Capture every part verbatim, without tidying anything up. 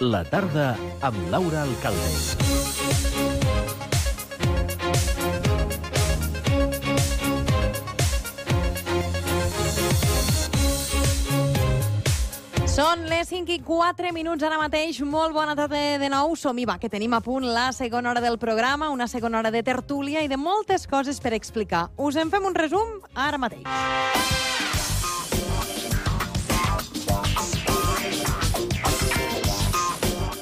La tarda amb Laura Alcalde. Són les cinc i quatre minuts ara mateix. Molt bona tarda de nou. Som-hi, va, que tenim a punt la segona hora del programa, una segona hora de tertúlia i de moltes coses per explicar. Us en fem un resum ara mateix.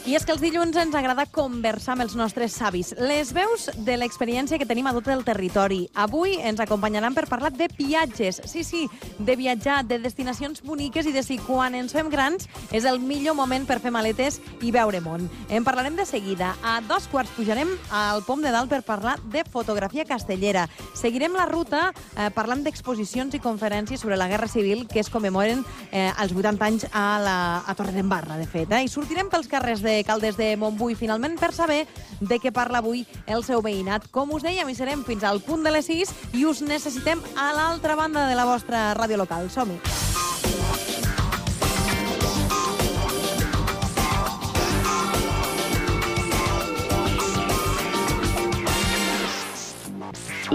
I és que els dilluns ens agrada conversar amb els nostres savis, les veus de l'experiència que tenim a tot el territori. Avui ens acompanyaran per parlar de viatges. Sí, sí, de viatjar, de destinacions boniques i de si quan ens fem grans és el millor moment per fer maletes i veure món. En parlarem de seguida. A dos quarts pujarem al Pom de Dalt per parlar de fotografia castellera. Seguirem la ruta eh, parlant d'exposicions i conferències sobre la Guerra Civil que es commemoren eh, als vuitanta anys a, la, a Torredembarra, de fet. Eh? I sortirem pels carrers de Caldes de Montbui, finalment, per saber de què parla avui el seu veïnat. Com us dèiem, hi serem fins al punt de les sis i us necessitem a l'altra banda de la vostra ràdio local. Som-hi!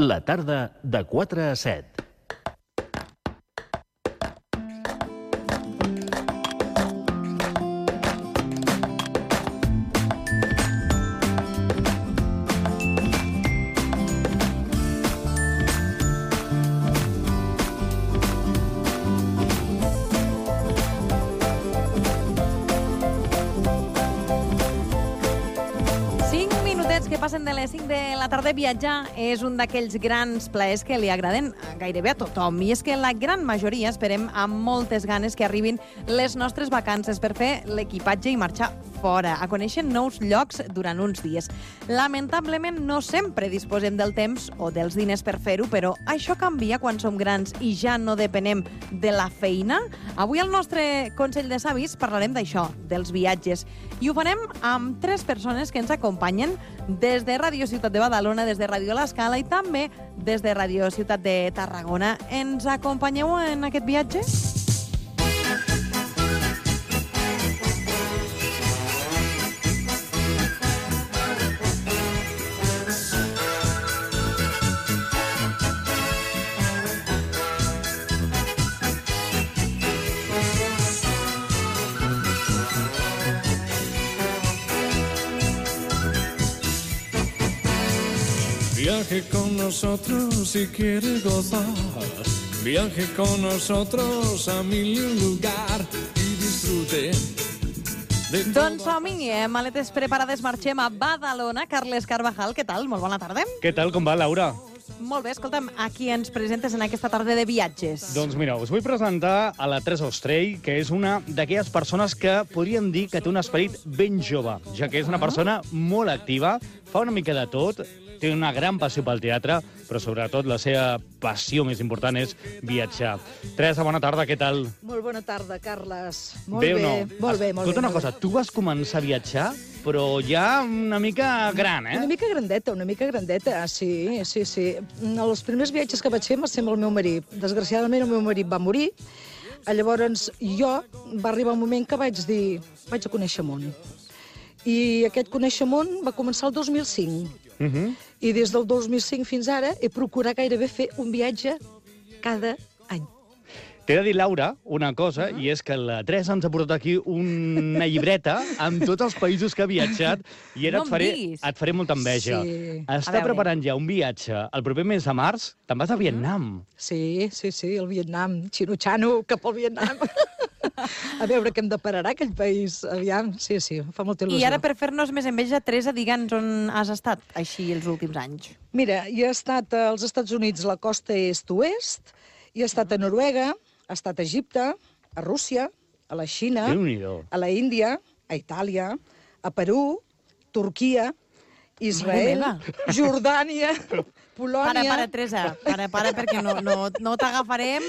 La tarda de quatre a set. Passen de les cinc de la tarda. Viatjar és un d'aquells grans plaers que li agraden gairebé a tothom. I és que la gran majoria esperem amb moltes ganes que arribin les nostres vacances per fer l'equipatge i marxar fora, a conèixer nous llocs durant uns dies. Lamentablement, no sempre disposem del temps o dels diners per fer-ho, però això canvia quan som grans i ja no depenem de la feina. Avui al nostre Consell de Savis parlarem d'això, dels viatges. I ho farem amb tres persones que ens acompanyen des de Ràdio Ciutat de Badalona, des de Ràdio L'Escala i també des de Ràdio Ciutat de Tarragona. Ens acompanyeu en aquest viatge? Viaje con nosotros si quiere gozar. Viaje con nosotros a mil lugar y disfrute. Doncs som-hi, eh? Maletes preparades, marxem a Badalona. Carles Carvajal, què tal? Molt bona tarda. Què tal, com va, Laura? Molt bé, escolta'm, a qui ens presentes en aquesta tarda de viatges? Doncs mira, us vull presentar a la Teresa Ostrell, que és una d'aquelles persones que podríem dir que té un esperit ben jove, ja que és una persona molt activa, fa una mica de tot, té una gran passió pel teatre, però sobretot la seva passió més important és viatjar. Teresa, bona tarda, què tal? Molt bona tarda, Carles. Molt bé. bé, o no? molt bé, molt Escolta bé. una cosa, tu vas començar a viatjar, però ja una mica gran, eh? Una mica grandeta, una mica grandeta, sí, sí, sí. Els primers viatges que vaig fer va ser amb el meu marit. Desgraciadament, el meu marit va morir. Llavors, jo va arribar un moment que vaig dir, vaig a conèixer món. I aquest conèixer món va començar el dos mil cinc. Uh -huh. I des del dos mil cinc fins ara he procurat gairebé fer un viatge cada any. T'he de dir, Laura, una cosa, uh -huh. i és que la Teresa ens ha portat aquí una llibreta amb tots els països que ha viatjat i ara No et, faré, em diguis. et faré molta enveja. Sí. Està veure. preparant ja un viatge el proper mes de març. Te'n vas a Vietnam. Sí, sí, sí, el Vietnam, xino-xano, cap al Vietnam. A veure què em depararà aquell país. Aviam, sí, sí, fa molta il·lusió. I ara, per fer-nos més enveja, Teresa, digue'ns on has estat així els últims anys. Mira, jo he estat als Estats Units, la costa est-oest, i he estat a Noruega, he estat a Egipte, a Rússia, a la Xina, Déu-n'hi-do. a la Índia, a Itàlia, a Perú, Turquia, Israel, meva. Jordània, Polònia... Para, para, Teresa, para, para, perquè no, no, no t'agafarem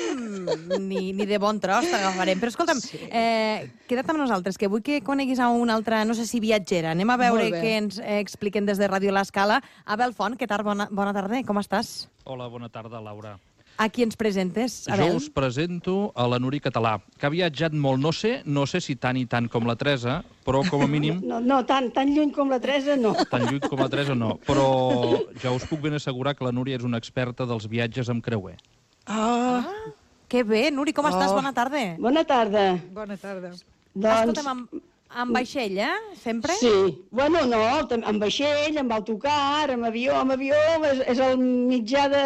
ni, ni de bon tros t'agafarem. Però escolta'm, Sí. eh, queda't amb nosaltres, que vull que coneguis a una altra, no sé si viatgera. Anem a veure Molt bé. què ens eh, expliquen des de Ràdio L'Escala. Abel Font, què tal? Bona, bona tarda, com estàs? Hola, bona tarda, Laura. A qui ens presentes, Jo Abel? us presento a la Núria Català, que ha viatjat molt, no sé, no sé si tant i tant com la Teresa, però com a mínim... No, no tan, tan lluny com la Teresa, no. Tan lluny com la Teresa, no. Però ja us puc ben assegurar que la Núria és una experta dels viatges amb creuer. Ah, Que bé, Nuri, com estàs? Oh. Bona tarda. Bona tarda. bona tarda. Doncs... Escolta'm, amb, amb vaixell, eh? Sempre? Sí. Bueno, no, tam- amb vaixell, amb autocar, amb avió. Amb avió és, és el mitjà de,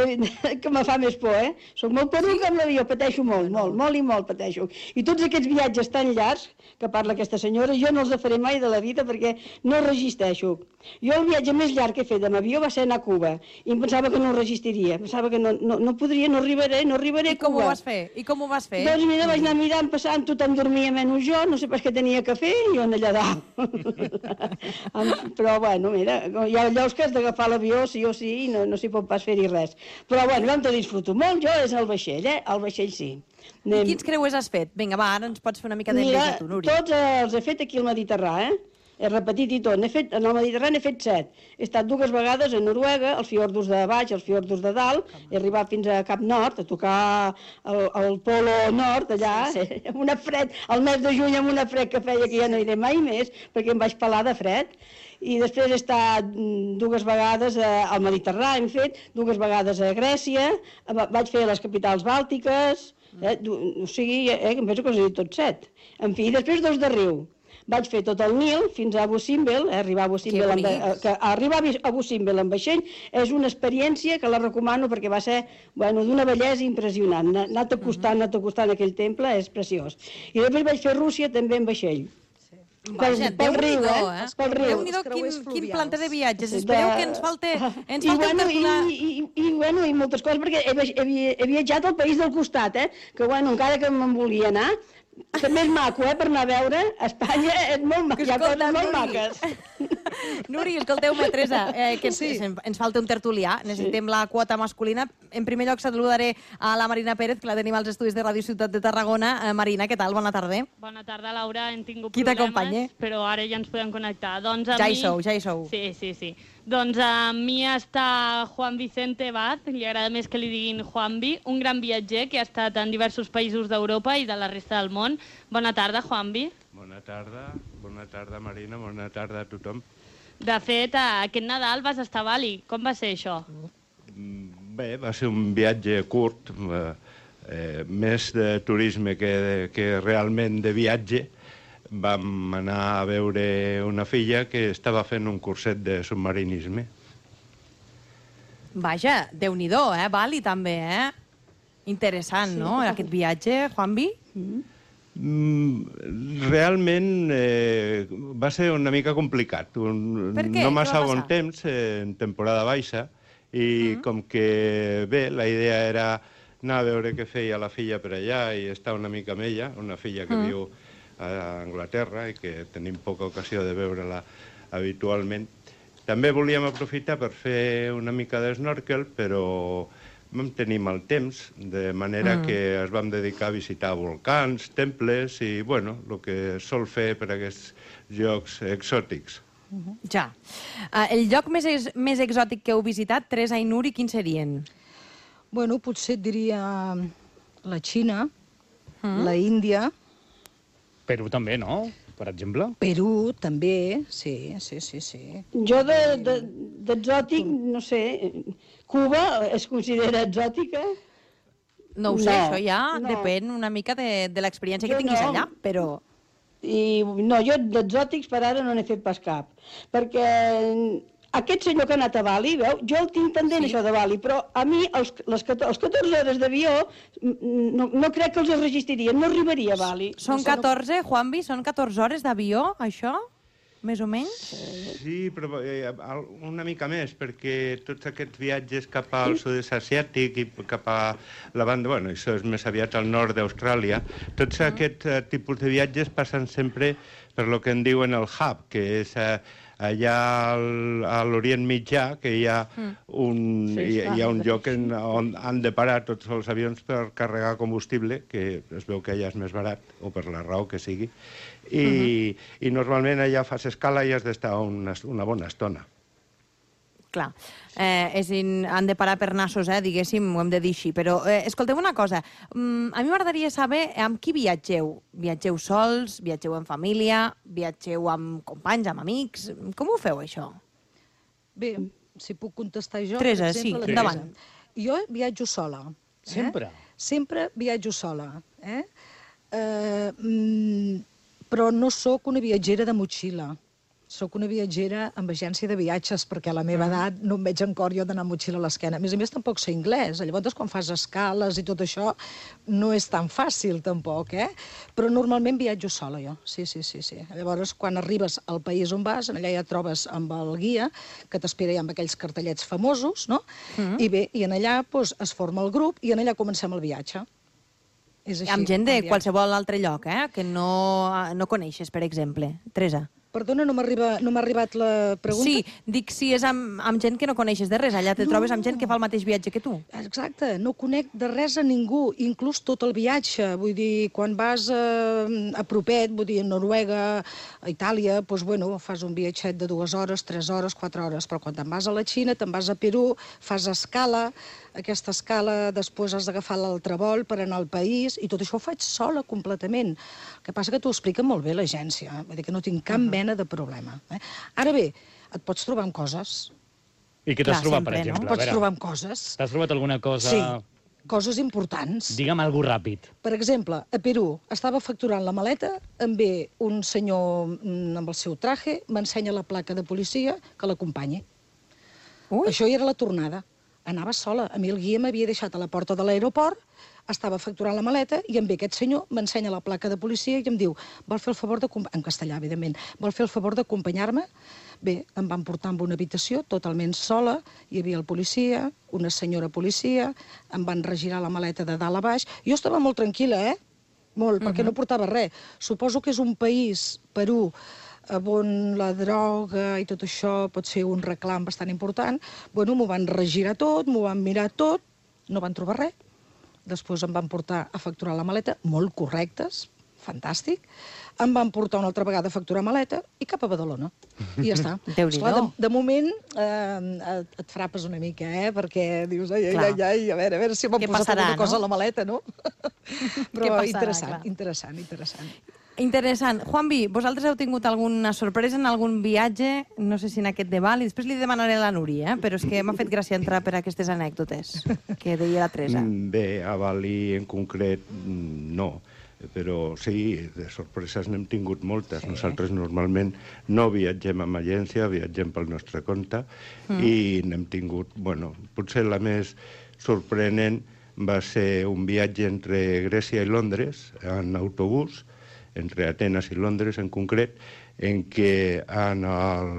de, de, que me fa més por, eh? Soc molt poruga amb l'avió, pateixo molt, molt, molt i molt pateixo. I tots aquests viatges tan llargs que parla aquesta senyora, jo no els faré mai de la vida perquè no resisteixo. Jo el viatge més llarg que he fet amb avió va ser anar a Cuba i em pensava que no ho resistiria. Pensava que no, no, no podria, no arribaré, no arribaré I a com ho Cuba. vas fer? I com ho vas fer? Doncs mira, vaig anar mirant, passant, tothom dormia menys jo, no sé pas què tenia que fer, i jo allà dalt. Però bueno, mira, hi ha llocs que has d'agafar l'avió sí o sí i no, no s'hi pot pas fer-hi res. Però bueno, vam te disfruto molt, jo és el vaixell, eh? El vaixell sí. I quins creuers has fet? Vinga, va, ara ens pots fer una mica de Mira, més a tu, Nuri. tots els he fet aquí al Mediterrani, eh? He repetit i tot. He fet, en el Mediterrani he fet set. He estat dues vegades a Noruega, als fiordos de baix, als fiordos de dalt. He arribat fins a Cap Nord, a tocar el, el polo nord, allà, sí, sí. Amb una fred, al mes de juny amb una fred que feia que ja no iré mai més, perquè em vaig pelar de fred. I després he estat dues vegades al Mediterrani, hem fet, dues vegades a Grècia, vaig fer a les capitals bàltiques, eh? O sigui, eh, em penso que us he dit tots set. En fi, després dos de riu. Vaig fer tot el Nil fins a Abu Simbel, eh, arribar a Abu Simbel, amb, eh, que arribar a Abu Simbel amb vaixell és una experiència que la recomano perquè va ser bueno, d'una bellesa impressionant. Anat acostant, anat acostant aquell temple, és preciós. I després vaig fer Rússia també amb vaixell. Vaja, pel riu, Déu-n'hi-do, eh? eh? Pel riu. Déu-n'hi-do, quin, creuers quin fluvials. planter de viatges. De- Espereu que ens falta, ens I, falta bueno, un i, tertulià. i, i, bueno, i moltes coses, perquè he, he, he viatjat al país del costat, eh? Que, bueno, encara que me'n volia anar, també és maco, eh, per anar a veure. Espanya és molt maco, hi ha coses Escolta, molt Nuri. maques. Nuri, escolteu-me, Teresa, eh, que ens, Sí. ens falta un tertulià. Necessitem la quota masculina. En primer lloc, saludaré a la Marina Pérez, que la tenim als estudis de Ràdio Ciutat de Tarragona. Eh, Marina, què tal? Bona tarda. Bona tarda, Laura. Hem tingut Qui t'acompanya? problemes, però ara ja ens podem connectar. Doncs a Ja hi mi... sou, ja hi sou. Sí, sí, sí. Doncs a mi està Juan Vicente Vaz, li agrada més que li diguin Juanvi, un gran viatger que ha estat en diversos països d'Europa i de la resta del món. Bona tarda, Juanvi. Bona tarda, bona tarda, Marina, bona tarda a tothom. De fet, aquest Nadal vas estar a Bali. Com va ser això? Bé, va ser un viatge curt, eh, eh, més de turisme que, de, que realment de viatge. Vam anar a veure una filla que estava fent un curset de submarinisme. Vaja, Déu-n'hi-do, eh? Bali també, eh? Interessant, no?, aquest viatge, Juanvi? Mm, realment eh, va ser una mica complicat. Un, Per què? No Què massa va bon passar? temps, eh, en temporada baixa, i mm. com que, bé, la idea era anar a veure què feia la filla per allà i estar una mica amb ella, una filla que mm. viu a Anglaterra i que tenim poca ocasió de veure-la habitualment. També volíem aprofitar per fer una mica d'snorkel, però vam tenir mal temps, de manera mm. que es vam dedicar a visitar volcans, temples i, bueno, el que sol fer per aquests llocs exòtics. Uh-huh. Ja. Uh, el lloc més, ex més exòtic que heu visitat, Teresa i Nuri, quins serien? Bueno, potser et diria la Xina, Mm. la Índia, Perú també, no? Per exemple. Perú, també, sí, sí, sí, sí. Jo d'exòtic, de, de, no sé, Cuba es considera exòtica? No ho sé, No, això ja no. depèn una mica de, de l'experiència que Jo tinguis no. allà, però... I no, jo d'exòtics per ara no n'he fet pas cap, perquè aquest senyor que ha anat a Bali, veu, jo el tinc pendent sí. això de Bali, però a mi els, les, els catorze hores d'avió no, no crec que els resistiria, no arribaria a Bali. Són catorze, Juanvi, són catorze hores d'avió, això? Més o menys? Sí, però eh, una mica més, perquè tots aquests viatges cap al sud-est asiàtic i cap a la banda, bueno, això és més aviat al nord d'Austràlia, tots uh-huh. aquests uh, tipus de viatges passen sempre per lo que en diuen el hub, que és uh, allà al, a l'Orient Mitjà, que hi ha un, Sí, hi, està. hi ha un lloc en, on han de parar tots els avions per carregar combustible, que es veu que allà és més barat, o per la raó que sigui, i, uh-huh. i normalment allà fas escala i has d'estar una, una bona estona. Clar, eh, és in, han de parar per nassos, eh, diguéssim, ho hem de dir així. Però eh, escolteu una cosa, mm, a mi m'agradaria saber amb qui viatgeu. Viatgeu sols, viatgeu en família, viatgeu amb companys, amb amics? Com ho feu, això? Bé, si puc contestar jo... Teresa, per exemple, sí, endavant. Jo viatjo sola. Eh? Sempre? Sempre viatjo sola. Eh? Eh, mm, però no sóc una viatgera de motxilla. Soc una viatgera amb agència de viatges, perquè a la meva edat no em veig en cor jo d'anar amb motxilla a l'esquena. A més a més, tampoc sé anglès. Llavors, quan fas escales i tot això, no és tan fàcil, tampoc, eh? Però normalment viatjo sola, jo. Sí, sí, sí, sí. Llavors, quan arribes al país on vas, allà ja et trobes amb el guia, que t'espera ja amb aquells cartellets famosos, no? Mm-hmm. I bé, i en allà doncs, es forma el grup i en allà comencem el viatge. És així, amb gent de qualsevol altre lloc, eh? Que no, no coneixes, per exemple. Teresa. Perdona, no m'ha arribat, no m'ha arribat la pregunta. Sí, dic si és amb, amb gent que no coneixes de res. Allà te no. trobes amb gent que fa el mateix viatge que tu. Exacte, no conec de res a ningú, inclús tot el viatge. Vull dir, quan vas a, a propet, vull dir, a Noruega, a Itàlia, doncs, bueno, fas un viatget de dues hores, tres hores, quatre hores, però quan te'n vas a la Xina, te'n vas a Perú, fas escala, aquesta escala després has d'agafar l'altre vol per anar al país, i tot això ho faig sola completament. El que passa que t'ho explica molt bé l'agència, eh? Vull dir que no tinc cap uh -huh. mena de problema. Eh? Ara bé, et pots trobar amb coses. I què t'has trobat, per exemple? No? Pots trobar amb coses. T'has trobat alguna cosa... Sí, coses importants. Digue'm alguna cosa ràpid. Per exemple, a Perú, estava facturant la maleta, em ve un senyor amb el seu traje, m'ensenya la placa de policia que l'acompanyi. Això ja era la tornada. Anava sola. A mi el guia m'havia deixat a la porta de l'aeroport, estava facturant la maleta i em ve aquest senyor, m'ensenya la placa de policia i em diu, vol fer el favor de... en castellà, evidentment, vol fer el favor d'acompanyar-me? Bé, em van portar en una habitació totalment sola, hi havia el policia, una senyora policia, em van regirar la maleta de dalt a baix. Jo estava molt tranquil·la, eh? Molt, perquè no portava res. Suposo que és un país, Perú, on la droga i tot això pot ser un reclam bastant important. Bueno, m'ho van regirar tot, m'ho van mirar tot, no van trobar res. Després em van portar a facturar la maleta, molt correctes, fantàstic. Em van portar una altra vegada a facturar maleta i cap a Badalona. I ja està. Esclar, de, de moment eh, et, et frapes una mica, eh? Perquè dius, ai, ai, ai, ai, a veure, a veure si m'han posat passarà, alguna cosa no? a la maleta, no? Però passarà, interessant, clar. interessant, interessant. Interessant. Juanvi, vosaltres heu tingut alguna sorpresa en algun viatge, no sé si en aquest de Bali, després li demanaré a la Núria, eh? Però és que m'ha fet gràcia entrar per aquestes anècdotes que deia la Teresa. Bé, a Bali en concret no, però sí, de sorpreses n'hem tingut moltes. Sí. Nosaltres normalment no viatgem amb agència, viatgem pel nostre compte mm. i n'hem tingut, bueno, potser la més sorprenent va ser un viatge entre Grècia i Londres en autobús, entre Atenes i Londres en concret, en què en el,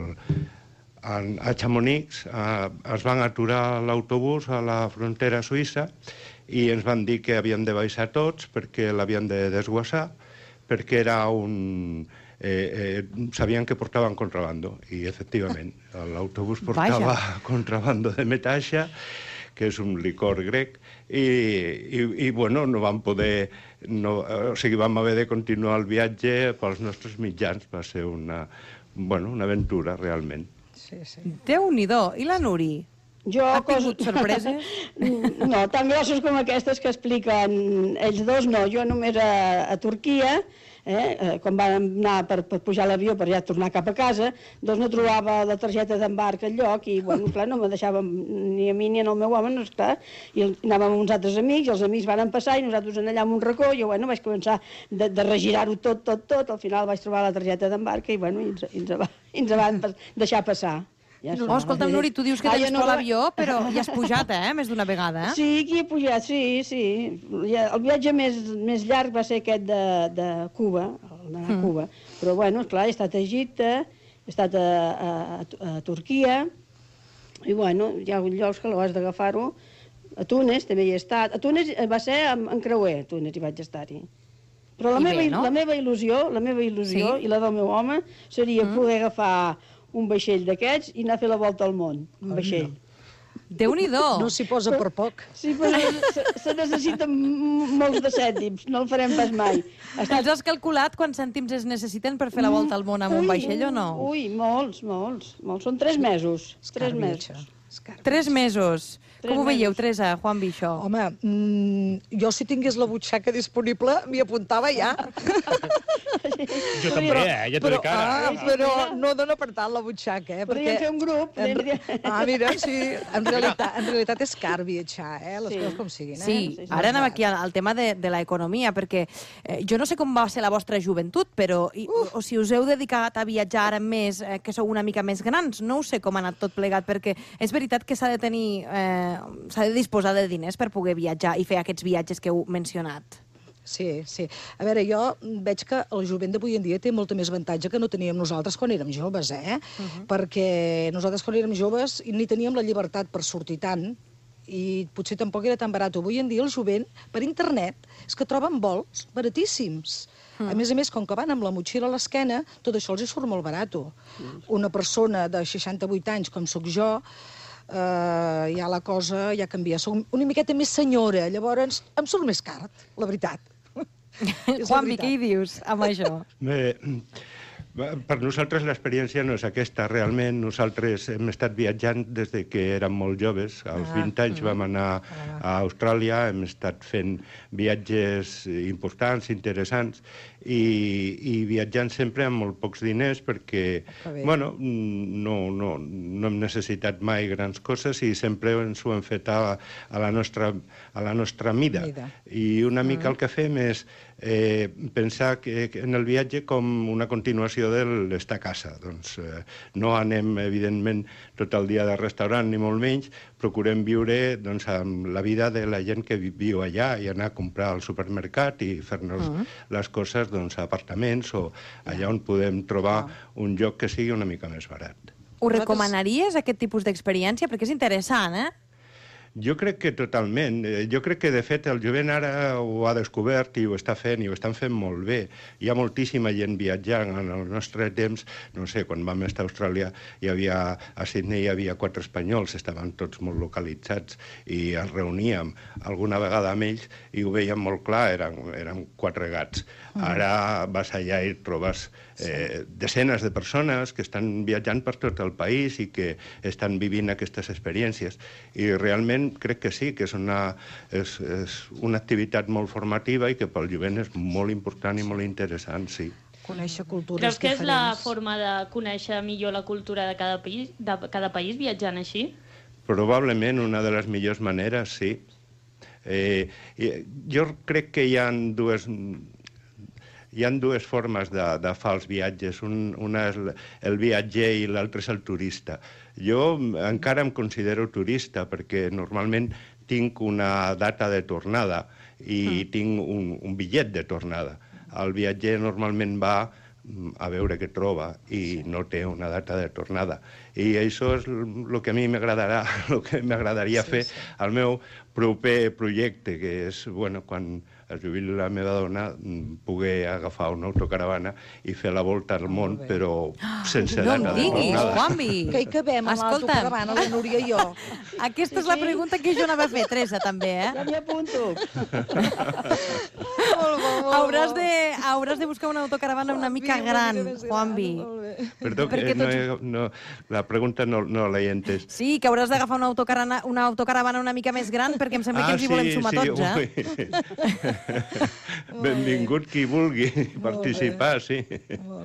en, a Chamonix a, es van aturar l'autobús a la frontera suïssa i ens van dir que havíem de baixar tots perquè l'havien de desguassar, perquè era un... Eh, eh, sabien que portaven contrabando, i efectivament, l'autobús portava Vaja. contrabando de metaxa, que és un licor grec, i, i, i bueno, no vam poder... No, o sigui, vam haver de continuar el viatge pels nostres mitjans. Va ser una, bueno, una aventura, realment. Sí, sí. Déu-n'hi-do. I la Nuri? Jo, ha tingut cos... sorpreses? No, tan grosses com aquestes que expliquen ells dos, no. Jo només a, a Turquia, eh, quan vam anar per, per pujar a l'avió per ja tornar cap a casa, doncs no trobava la targeta d'embarc al lloc i, bueno, clar, no me deixàvem ni a mi ni al meu home, no està. I anàvem amb uns altres amics, i els amics van passar i nosaltres allà en un racó, i jo, bueno, vaig començar de, de regirar-ho tot, tot, tot, al final vaig trobar la targeta d'embarc i, bueno, i ens, i ens, va, i ens van deixar passar. Ja oh, escolta'm, Nuri, tu dius que tens ah, no... por a l'avió, però ja has pujat, eh?, més d'una vegada. Eh? Sí, aquí he pujat, sí, sí. El viatge més, més llarg va ser aquest de, de Cuba, d'anar a Cuba. Mm. Però, bueno, esclar, he estat a Egipte, he estat a, a, a, a Turquia, i, bueno, hi ha llocs que l'has d'agafar-ho. A Túnez també hi he estat. A Túnez va ser en, en creuer, a Túnez hi vaig estar-hi. Però la, meva, bé, no? la meva il·lusió, la meva il·lusió, sí? i la del meu home, seria mm. poder agafar un vaixell d'aquests i anar a fer la volta al món, un vaixell. Déu-n'hi-do! No s'hi posa per poc. Sí, però se, se necessiten molts de cèntims, no el farem pas mai. Està... Els has calculat quants cèntims es necessiten per fer la volta al món amb un vaixell o no? Ui, molts, molts. molts. Són tres mesos. Tres mesos. Tres mesos. Tres Com ho veieu, mesos. Teresa, Juanvi, això? Home, mm, jo si tingués la butxaca disponible m'hi apuntava ja. Jo també, eh? Ja t'ho dic ara. Ah, però no dona per tant la butxaca, eh? Podríem fer un grup. En... Ah, mira, sí. En realitat, en realitat és car viatjar, eh? Les Sí. coses com siguin, eh? Sí, ara anem aquí al, al tema de, de l'economia, perquè eh, jo no sé com va ser la vostra joventut, però i, o, o si us heu dedicat a viatjar ara més, eh, que sou una mica més grans, no ho sé com ha anat tot plegat, perquè és veritat que s'ha de tenir, eh, s'ha de disposar de diners per poder viatjar i fer aquests viatges que heu mencionat. Sí, sí. A veure, jo veig que el jovent d'avui en dia té molta més avantatge que no teníem nosaltres quan érem joves, eh? Uh-huh. Perquè nosaltres quan érem joves ni teníem la llibertat per sortir tant i potser tampoc era tan barat. Avui en dia el jovent, per internet, és que troben vols baratíssims. Mm. A més a més, com que van amb la motxilla a l'esquena, tot això els hi surt molt barat. Mm. Una persona de seixanta-vuit anys, com sóc jo, eh, ja la cosa ja canvia. Soc una miqueta més senyora, llavors em surt més car, la veritat. Juanvi, què hi dius amb això? Bé, per nosaltres l'experiència no és aquesta. Realment, nosaltres hem estat viatjant des de que érem molt joves. Als vint anys vam anar a Austràlia, hem estat fent viatges importants, interessants, i, i viatjant sempre amb molt pocs diners perquè, bueno, no, no, no hem necessitat mai grans coses i sempre ens ho hem fet a, a, la, nostra, a la nostra mida. mida. I una mica el que fem és eh, pensar que, que en el viatge com una continuació de l'estar a casa. Doncs eh, no anem, evidentment, tot el dia de restaurant, ni molt menys, procurem viure doncs, amb la vida de la gent que viu allà i anar a comprar al supermercat i fer-nos uh -huh. les coses doncs, a apartaments o allà on podem trobar uh -huh. un lloc que sigui una mica més barat. Ho recomanaries, aquest tipus d'experiència? Perquè és interessant, eh? Jo crec que totalment. Jo crec que, de fet, el jovent ara ho ha descobert i ho està fent, i ho estan fent molt bé. Hi ha moltíssima gent viatjant. En el nostre temps, no sé, quan vam estar a Austràlia, hi havia, a Sydney hi havia quatre espanyols, estaven tots molt localitzats, i ens reuníem alguna vegada amb ells i ho veiem molt clar, eren, eren quatre gats. Ara vas allà i trobes eh, desenes de persones que estan viatjant per tot el país i que estan vivint aquestes experiències. I realment crec que sí, que és una, és, és una activitat molt formativa i que pel jovent és molt important i molt interessant, sí. Conèixer cultures Creus que diferents. és la forma de conèixer millor la cultura de cada país, de cada país viatjant així? Probablement una de les millors maneres, sí. Eh, jo crec que hi ha dues... Hi ha dues formes de, de fer els viatges. Un, una és el viatger i l'altre és el turista. Jo encara em considero turista perquè normalment tinc una data de tornada i mm. tinc un, un bitllet de tornada. El viatger normalment va a veure què troba i no té una data de tornada. I això és el que a mi m'agradarà, el que m'agradaria sí, fer sí. al meu proper projecte, que és, bueno, quan es jubili la meva dona, poder agafar una autocaravana i fer la volta al món, però sense no data de tornada. No em diguis, Juanvi! Que hi cabem a l'autocaravana, la Núria i jo. Aquesta és la pregunta que jo anava a fer, Teresa, també, eh? Ja m'hi apunto. Hauràs de, hauràs de buscar una autocaravana una mica gran, Juanvi. Perdó, que no, he, no, la pregunta no, no l'he entès. Sí, que hauràs d'agafar una autocaravana, una autocaravana una mica més gran perquè em sembla ah, que ens hi sí, volem sumar sí, tots, eh? Benvingut qui vulgui participar, sí.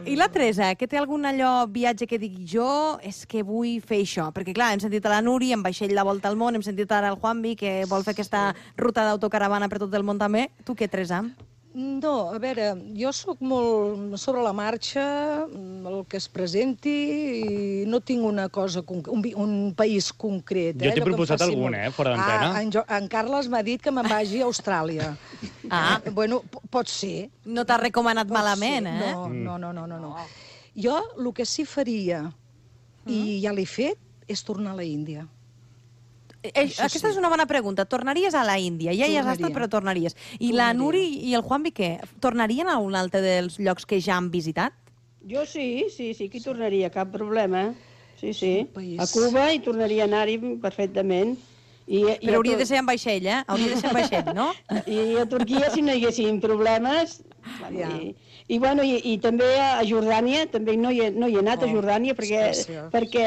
I la Teresa, que té algun allò viatge que digui jo és que vull fer això? Perquè, clar, hem sentit a la Núria en vaixell la volta al món, hem sentit ara el Juanvi, que vol fer aquesta ruta d'autocaravana per tot el món també. Tu què, Teresa? No, a veure, jo sóc molt sobre la marxa, el que es presenti, i no tinc una cosa, un, un país concret. Jo eh? t'he proposat algun, eh, fora d'antena. Ah, en, jo, en Carles m'ha dit que me'n vagi a Austràlia. Ah. Bueno, pot ser. No t'ha recomanat pot malament, ser. eh? No, no, no, no, no. Jo el que sí faria, i ja l'he fet, és tornar a la Índia. Eh, aquesta sí. és una bona pregunta. Tornaries a la Índia? Ja hi has estat, però tornaries. I Tornaria. La Nuri i el Juanvi, què? Tornarien a un altre dels llocs que ja han visitat? Jo sí, sí, sí que hi tornaria, cap problema. sí, sí. A Cuba i tornaria a anar-hi perfectament. I, i Però hauria de ser amb vaixell, eh? Hauria de ser amb vaixell, no? I a Turquia, si no hi haguessin problemes... Ja. I, i, bueno, i, i també a Jordània, també no hi he, no hi he anat, oh, a Jordània, perquè, perquè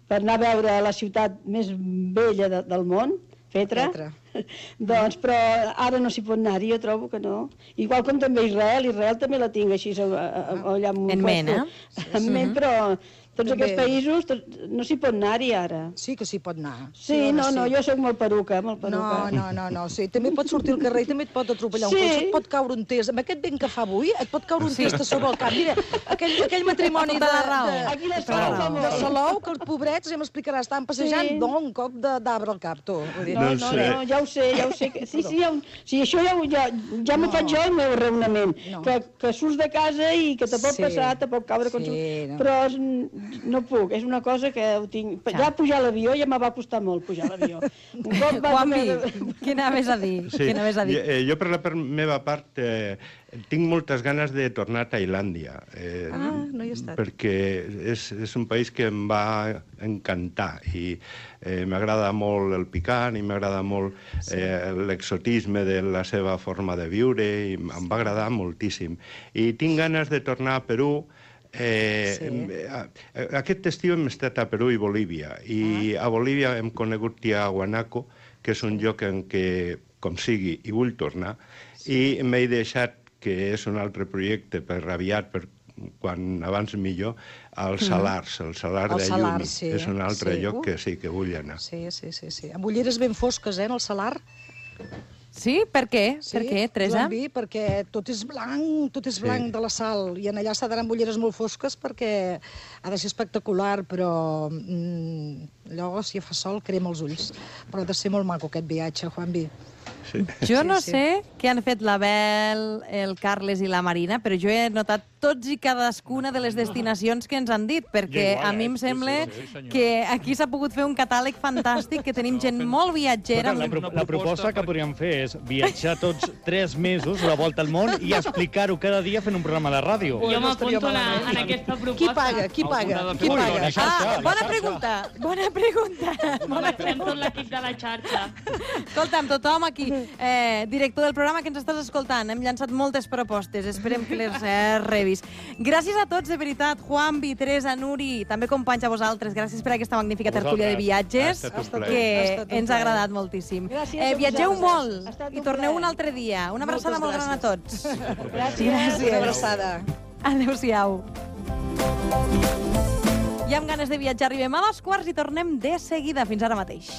per anar a veure la ciutat més vella de, del món, Petra, Petra. Doncs, però ara no s'hi pot anar-hi, jo trobo que no. Igual com també Israel, Israel també la tinc així allà en ment, eh? En ment, però tots aquests països no s'hi pot anar-hi ara. Sí que s'hi pot anar. Sí, no, no, jo sóc molt peruca, molt peruca. No, no, no, no, sí, també pots sortir al carrer i també et pot atropellar un cotxe, et pot caure un test. Amb aquest vent que fa avui, et pot caure un test a sobre el cap. Mira, aquell, aquell matrimoni de, de, Aquí les de Salou, que els pobrets, ja m'explicarà, estaven passejant, no, un cop d'arbre al cap, tu. No, no, no, ja ho sé, ja ho sé. Sí, sí, sí, això ja, ja m'ho faig jo el meu raonament, que, que surts de casa i que te pot passar, te pot caure, però no puc, és una cosa que ho tinc... Ja pujar a l'avió ja me va costar molt pujar a l'avió. Juanvi, què anaves a dir? Sí, jo per la meva part tinc moltes ganes de tornar a Tailàndia. Ah, no hi he estat. Perquè és un país que em va encantar i m'agrada molt el picant i m'agrada molt l'exotisme de la seva forma de viure i em va agradar moltíssim. I tinc ganes de tornar a Perú. Eh, sí. Aquest estiu hem estat a Perú i Bolívia i ah. a Bolívia hem conegut Tiahuanaco, que és un lloc en què, com sigui, hi vull tornar, sí. I m'he deixat, que és un altre projecte per aviat, per quan abans millor, als Salars, el Salar el de Salar, Uyuni. Sí. És un altre sí. lloc que sí que vull anar. Sí, sí, sí, sí. Amb ulleres ben fosques, eh, en el Salar. Sí? Per què? Sí, per què, Teresa? Sí, perquè tot és blanc, tot és blanc sí. de la sal, i en allà s'ha d'anar amb ulleres molt fosques perquè ha de ser espectacular, però mm, allò, si fa sol, crema els ulls. Però ha de ser molt maco aquest viatge, Juanvi. Sí. Jo no sí, sí. sé què han fet l'Abel, el Carles i la Marina, però jo he notat tots i cadascuna de les destinacions que ens han dit, perquè igual, a mi em sembla sí, sí, que aquí s'ha pogut fer un catàleg fantàstic, que tenim gent molt viatgera. La, pro la proposta que podríem fer és viatjar tots tres mesos la volta al món i explicar-ho cada dia fent un programa de ràdio. Jo m'apunto en aquesta proposta. Qui paga? Qui paga? Qui paga? Ah, bona pregunta. Bona pregunta. Bona tot l'equip de la xarxa. Escolta'm, tothom aquí, eh, director del programa que ens estàs escoltant, hem llançat moltes propostes, esperem que les eh, rebis. Gràcies a tots, de veritat, Juanvi, Teresa, Nuri, també companys a vosaltres, gràcies per aquesta magnífica tertúlia de viatges, que ens ha agradat moltíssim. Eh, viatgeu molt i torneu un altre dia. Una abraçada molt gran a tots. Gràcies. Una abraçada. Adéu-siau. I amb ganes de viatjar arribem a dos quarts i tornem de seguida. Fins ara mateix.